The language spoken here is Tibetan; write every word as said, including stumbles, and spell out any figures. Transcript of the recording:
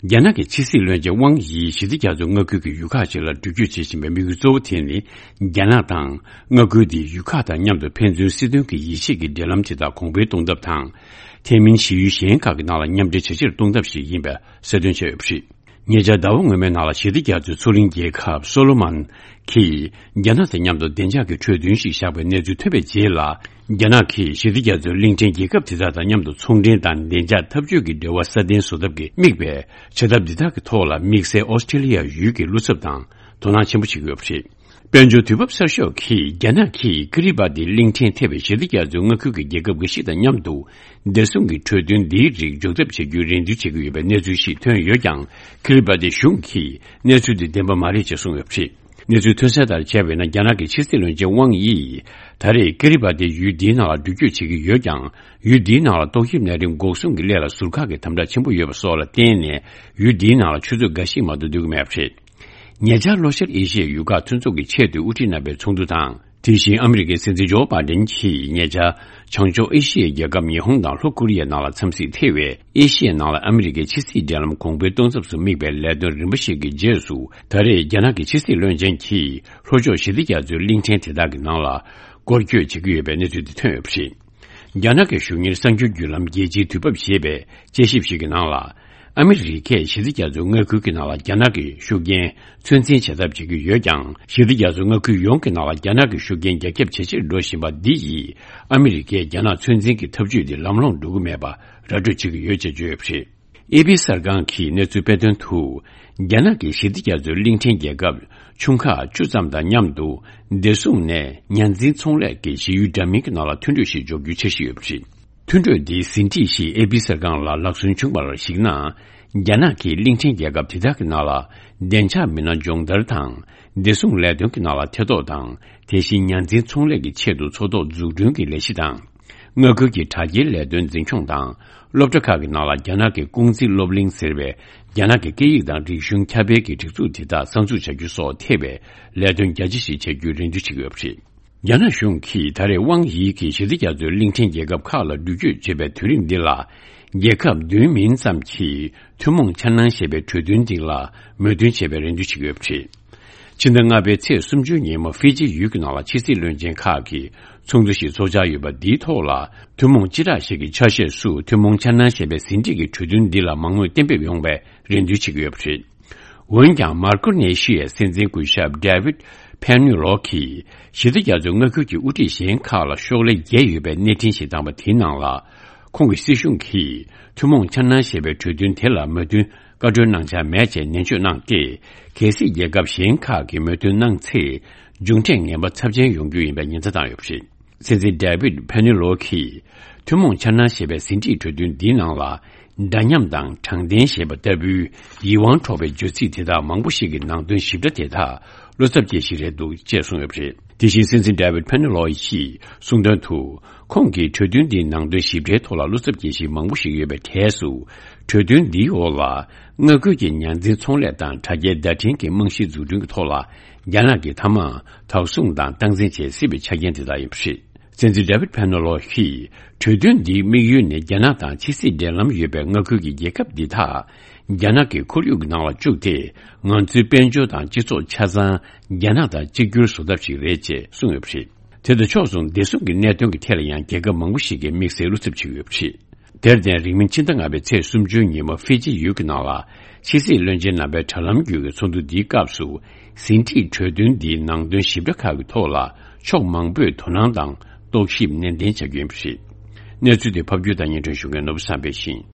རྒྱ་ནག་གི་ཕྱི་སྲིད་བློན་ཆེན་ཝང་དབྱི་ཞི་བདེ་རྒྱ་མཚོའི་མངའ་ཁུལ་གྱི་ཡུལ་ཁག་ཅིག་ལ་འགྲུལ་སྐྱོད་བྱེད་བཞིན་པའི་དམིགས་ཡུལ་གཙོ་བོ་དེ་ནི། རྒྱ་ནག་དང་མངའ་ཁུལ་དེའི་ཡུལ་ཁག་དང་མཉམ་དུ་ཕན་ཚུན་སྲིད་དོན་གྱི་ཡིད་ཆེས་ཀྱི་འབྲེལ་ལམ་དེ་དག་གོང་འཕེལ་གཏོང་ཐབས་དང་། དེ་མིན་གཞི་ཡུལ་གཞན་ཁག་གི་ནང་ལ་མཉམ་འབྲེལ་ཇེ་ཆེར་གཏོང་ཐབས་ཤིག་ཡིན་པའི་གསལ་སྟོན་བྱས་ཡོད་པ་རེད། ཉེ་ཆར་ཟླ་བ་སྔོན་མའི་ནང་ལ་ཞི་བདེ་རྒྱ་མཚོའི་མཚོ་གླིང་རྒྱལ་ཁབ་སོ་ལོ་མོན་གྱིས་རྒྱ་ནག་དང་མཉམ་དུ་བདེ་འཇགས་ཀྱི་གྲོས་མཐུན་ཞིག་བཞག་པའི་གནས་ཚུལ་ཐོན་པའི་རྗེས་ལ། རྒྱ་ནག་གིས་ཞི་བདེ་རྒྱ་མཚོའི་གླིང་ཕྲན་རྒྱལ་ཁབ་དེ་དག་དང་མཉམ་དུ་ཚོང་འབྲེལ་དང་བདེ་འཇགས་འཐབ་ཇུས་ཀྱི་འབྲེལ་བ་སྲ་བརྟན་བཟོ་ཐབས་ཀྱི་དམིགས་པའི་བྱ་ཐབས་འདི་དག་གི་ཐོག་ལ་དམིགས་བསལ་ཨོ་སི་ཀྲི་ལི་ཡ་ཡུལ་གྱི་བློ་འཚབ་དང་དོ་སྣང་ཆེན་པོ་བྱེད་ཀྱི་ཡོད་པ་རེད། དཔལ་འབྱོར་དུས་བབ་གསར་ཤོག་གིས་རྒྱ་ནག་གིས་ཀི་རི་བ་ཏི་གླིང་ཕྲན་ཐེ་བའི་ཞི་བདེ་རྒྱ་མཚོའི་མངའ་ཁུལ་གྱི་རྒྱལ་ཁབ་འགའ་ཞིག་དང་མཉམ་དུ་བདེ་སྲུང་གི་གྲོས་མཐུན་འདིའི་རིགས་འཇོག་ཐབས་བྱ་རྒྱུའི་རེ་འདུན་བྱེད་ཀྱི་ཡོད་པའི་གནས་ཚུལ་ཞིག་ཐོན་ཡོད་ཀྱང་། ཀི་རི་བ་ཏི་གཞུང་གིས་གནས་ཚུལ་འདི་བདེན་པ་མ་རེད་ཅེས་གསུངས་ཡོད་པ་རེད། གནས་ཚུལ་ཐོན་གསལ་ལྟར་བྱས་པས་ན། རྒྱ་ནག་གི་ཕྱི་སྲིད་བློན་ཆེན་ཝང་དབྱི་ཡིས་ད་རེས་ཀི་རི་བ་ཏི་ཡུལ་འདིའི་ནང་ལ་འགྲུལ་སྐྱོད་བྱེད་ཀྱི་ཡོད་ཀྱང་། ཡུལ་འདིའི་ནང་ལ་ཏོག་དབྱིབས་ནད་རིམས་འགོག་སྲུང་གི་སླད་ལ་ཟུར་བཀག་གི་དམ་དྲག་ཆེན་པོ་ཡོད་པ་སོགས་ལ་བརྟེན་ནས། ཡུལ་འདིའི་ནང་ལ་ཆུ་ཚོད་འགའ་ཞིག་མ་གཏོགས་སྡོད་ཀྱི་མེད་པ་རེད། ཉེ་ཆར་ལྷོ་ཤར་ཨེ་ཤི་ཡའི་ཡུལ་ཁག་མཐུན་ཚོགས་ཀྱི་ཆེས་མཐོའི་དབུ་ཁྲིད་རྣམ་པའི་ཚོགས་འདུ་དང་། དེ་བཞིན་ཨ་མི་རི་ཀའི་སྲིད་འཛིན་ཇོ་བྷའི་ཌེན་གྱིས་ཉེ་ཆར་བྱང་ཕྱོགས་ཨེ་ཤི་ཡའི་རྒྱལ་ཁབ་ཉི་ཧོང་དང་ལྷོ་ཀོ་རི་ཡའི་ནང་ལ་འཚམས་གཟིགས་ཐེ་བའི་ཨེ་ཤི་ཡའི་ནང་ལ་ཨ་མི་རི་ཀའི་ཕྱི་སྲིད་འབྲེལ་ལམ་གོང་འཕེལ་གཏོང་ཐབས་སུ་དམིགས་པའི་ལས་དོན་རིམ་པ་ཞིག་གི་རྗེས་སུ། ད་རེས་རྒྱ་ནག་གི་ཕྱི་སྲིད་བློན་ཆེན་གྱིས་ལྷོ་ཕྱོགས་ཞི་བདེ་རྒྱ་མཚོའི་གླིང་ཕྲན་དེ་དག་གི་ནང་ལ་སྐོར་སྐྱོད་བྱེད་ཀྱི་ཡོད་པའི་གནས་ཚུལ་འདི་ཐོན་ཡོད་པ་རེད། རྒྱ་ནག་གི་གཞུང་གཉེར་གསར་འགྱུར་བརྒྱུད་ལམ་རྒྱལ་སྤྱིའི་དུས་བབ་ཞེས་པའི་དཔྱད་ཞིབ་ཞིག་གི་ནང་ལ། ཨ་མི་རི་ཀས་ཞི་བདེ་རྒྱ་མཚོའི་མངའ་ཁུལ་གྱི་ནང་ལ་རྒྱ་ནག་གི་ཤུགས་རྐྱེན་ཚོད་འཛིན་བྱེད་ཐབས་བྱེད་ཀྱི་ཡོད་ཀྱང་། ཞི་བདེ་རྒྱ་མཚོའི་མངའ་ཁུལ་ཡོངས་ཀྱི་ནང་ལ་རྒྱ་ནག་གི་ཤུགས་རྐྱེན་རྒྱ་ཁྱབ་ཇེ་ཆེར་འགྲོ་བཞིན་པ་འདི་ཡིས། ཨ་མི་རི་ཀས་རྒྱ་ནག་ཚོད་འཛིན་གྱི་ཐབས་ཇུས་དེ་ལམ་ལྷོང་འགྲོ་གི་མེད་པ་ར་སྤྲོད་བྱེད་ཀྱི་ཡོད་ཅེས་བརྗོད་ཡོད་པ་རེད། ཨེ་པི་གསར་ཁང་གིས་གནས་ཚུལ་སྤེལ་དོན་དུ། རྒྱ་ནག་གིས་ཞི་བདེ་རྒྱ་མཚོའི་གླིང་ཕྲན་རྒྱལ་ཁབ་ཆུང་ཁག་བཅུ་ཙམ་དང་མཉམ་དུ། བདེ་སྲུང་ནས་ཉ་འཛིན་ཚོང་ལས་ཀྱི་གཞི་ཡུལ་འདྲ་མིན་གྱི་ནང་ལ་མཐུན་གྲོས་ཤིག་འཇོག་རྒྱུའི་འཆར་གཞི་ཡོད་པ་རེད། མཐུན་གྲོས་འདིའི་ཟིན་བྲིས་ཤིག་ཨེ་པི་གསར་ཁང་ལ་ལག་སོན་བྱུང་བར་གཞིགས་ན། རྒྱ་ནག་གིས་གླིང་ཕྲན་རྒྱལ་ཁབ་དེ་དག་གི་ནང་ལ་བདེ་འཇགས་མི་སྣ་སྦྱོང་བརྡར་དང་། བདེ་སྲུང་ལས་དོན་གྱི་ནང་ལ་ཐེ་གཏོགས་དང་། དེ་བཞིན་ཉ་འཛིན་ཚོང་ལས་ཀྱི་ཆེད་དུ་མཚོ་ཐོག་འཛུགས་སྐྲུན་གྱི་ལས་གཞི་དང་། མངའ་ཁུལ་གྱི་དྲ་རྒྱའི་ལས་དོན་འཛིན་སྐྱོང་དང་། སློབ་གྲྭ་ཁག་གི་ནང་ལ་རྒྱ་ནག་གི་ཀུང་ཙི་སློབ་གླིང་ཟེར་བའི་རྒྱ་ནག་གི་སྐད་ཡིག་དང་རིག་གཞུང་ཁྱབ་སྤེལ་གྱི་སྒྲིག་འཛུགས་དེ་དག་གསར་འཛུགས་བྱ་རྒྱུ་སོགས་ཐེ་བའི་ལས་དོན་རྒྱ་ཆེ་ཞིག་བྱ་རྒྱུའི་རེ་འདུན་བྱེད་ཀྱི་ཡོད་པ་རེད། རྒྱ་ནག་གཞུང་གིས་ད་རེས་ཝང་དབྱི་གིས་ཞི་བདེ་རྒྱ་མཚོའི་གླིང་ཕྲན་རྒྱལ་ཁབ་ཁག་ལ་འགྲུལ་སྐྱོད་བྱེད་པའི་དུས་རིམ་འདི་ལ། རྒྱལ་ཁབ་བདུན་མིན་ཙམ་གྱིས་ཐུན་མོང་འཆར་སྣང་ཞེས་པའི་གྲོས་མཐུན་འདི་ལ་མོས་མཐུན་བྱེད་པའི་རེ་འདུན་བྱེད་ཀྱི་ཡོད་པ་རེད། ཕྱི་ཟླ་ལྔ་པའི་ཚེས་སུམ་ཅུ་ཉིན་མོ་ཧྥི་ཇི་ཡུལ་གྱི་ནང་ལ་ཕྱི་སྲིད་བློན་ཆེན་ཁག་གི་ཚོགས་འདུ་ཞིག་ཚོགས་འཆར་ཡོད་པ་འདིའི་ཐོག་ལ། ཐུན་མོང་སྤྱི་བསྒྲགས་ཤིག་གི་ཆ་ཤས་སུ་ཐུན་མོང་འཆར་སྣང་ཞེས་པའི་ཟིན་བྲིས་ཀྱི་གྲོས་མཐུན་འདི་ལ་མང་མོས་གཏན་འབེབས་ཡོང་བའི་རེ་འདུན་བྱེད་ཀྱི་ཡོད་པ་རེད། འོན་ཀྱང་། མར་ཀོ་ནེ་ཤི་ཡའི་སྲིད་འཛིན་སྐུ་ཞབས་ཌེ་ཝིད་ཕེ་ནུ་ལོ་གིས་ཞི་བདེ་རྒྱ་མཚོའི་མངའ་ཁུལ་གྱི་དབུ་ཁྲིད་གཞན་ཁག་ལ་ཤོག་ལྷེ་བརྒྱད་ཡོད་པའི་གནས་འཕྲིན་ཞིག་བཏང་བ་དེའི་ནང་ལ། ཁོང་གི་སྲིད་གཞུང་གིས་ཐུན་མོང་འཆར་སྣང་ཞེས་པའི་གྲོས་མཐུན་དེ་ལ་མོས་མཐུན་བཀའ་འཁྲོལ་གནང་འཆར་མེད་ཅེས་ནན་བརྗོད་གནང་སྟེ། གལ་སྲིད་རྒྱལ་ཁབ་གཞན་ཁག་གིས་མོས་མཐུན་གནང་ཚེ། མཇུག་འབྲས་ངན་པ་ཚབས་ཆེན་ཡོང་རྒྱུ་ཡིན་པའི་ཉེན་བརྡ་བཏང་ཡོད་པ་རེད། སྲིད་འཛིན་ཌེ་ཝིད་ཕེ་ནུ་ལོ་གིས། ཐུན་མོང་འཆར་སྣང་ཞེས་པའི་ཟིན་བྲིས་གྲོས་མཐུན་འདིའི་ནང་ལ། འདྲ་མཉམ་དང་དྲང་བདེན་ཞེས་པ་ལྟ་བུའི་ཡིད་དབང་འཕྲོག་པའི་བརྗོད་ཚིག་དེ་དག་མང་པོ་ཞིག་གི་ནང་དོན་ཞིབ་ཕྲ་དེ་དག་བློ་འཚབ་སྐྱེ་གཞི་རེད་འདུག་ཅེས་གསུངས་ཡོད་པ་རེད། དེ་བཞིན་སྲིད་འཛིན་ཌེ་ཝིད་ཕེ་ནུ་ལོ་ཡིས་གསུངས་དོན་དུ། ཁོང་གིས་གྲོས་མཐུན་འདིའི་ནང་དོན་ཞིབ་ཕྲའི་ཐོག་ལ་བློ་འཚབ་སྐྱེ་གཞི་མང་པོ་ཞིག་ཡོད་པའི་གྲས་སུ། གྲོས་མཐུན་འདིའི་འོག་ལ། མངའ་ཁུལ་གྱི་ཉ་འཛིན་ཚོང་ལས་དང་དྲ་རྒྱའི་བརྡ་འཕྲིན་གྱི་རྨང་གཞི་འཛུགས་སྐྲུན་གྱི་ཐོག་ལ། རྒྱ་ནག་གིས་མཐའ་མར་དོགས་ཟོན་དང་སྟངས་འཛིན་བྱེད་སྲིད་པའི་ཆ་རྐྱེན་དེ་དག་ཡིན་པ་རེད། སྲིད་འཛིན་ཌེ་ཝིད་ཕེ་ནོ་ལོ་ཡིས། གྲོས་མཐུན་འདིའི་དམིགས་ཡུལ་ནི་རྒྱ་ནག་དང་ཕྱི་སྲིད་འབྲེལ་ལམ་ཡོད་པའི་མངའ་ཁུལ་གྱི་རྒྱལ་ཁབ་འདི་དག་རྒྱ་ནག་གི་ཁོར་ཡུག་གི་ནང་ལ་བཅུག་སྟེ། ང་ཚོའི་དཔལ་འབྱོར་དང་སྤྱི་ཚོགས་ཆ་ཚང་རྒྱ་ནག་དང་གཅིག་གྱུར་བཟོ་ཐབས་ཤིག་རེད་ཅེས་གསུངས་ཡོད་པ་རེད། དེ་དང་ཕྱོགས་མཚུངས་བདེ་སྲུང་གི་གནད་དོན་གྱི་ཐད་ལ་ཡང་རྒྱལ་ཁབ་མང་པོ་ཞིག་གིས་དམིགས་བསལ་བློ་འཚབ་བྱེད་ཀྱི་ཡོད་པ་རེད། དེར་བརྟེན། རིང་མིན་ཕྱི་ཟླ་ལྔ་པའི་ཚེས་སུམ་ཅུ་ཉིན་མོ་ཧྥི་ཇི་ཡུལ་གྱི་ནང་ལ། ཕྱི་སྲིད་བློན་ཆེན་རྣམ་པའི་དྲ་ལམ་བརྒྱུད་ཀྱི་ཚོགས་འདུ་འདིའི་སྐབས་སུ། ཟིན་བྲིས་གྲོས་མཐུན་འདིའི་ནང་དོན་ཞིབ་ཕྲ་ཁག་གི་ཐོག་ལ། ཕྱོགས་མང་པོས་དོ་སྣང་དང་རྟོག་ཞིབ་ནན་ཏན་བྱ་རྒྱུ་ཡིན་པ་རེད། གནས་ཚུལ་དེ་ཕབ་སྒྱུར་དང་སྙན་སྒྲོན་ཞུ་མཁན་ནོར་བུ་བསམ་འཕེལ་ཡིན།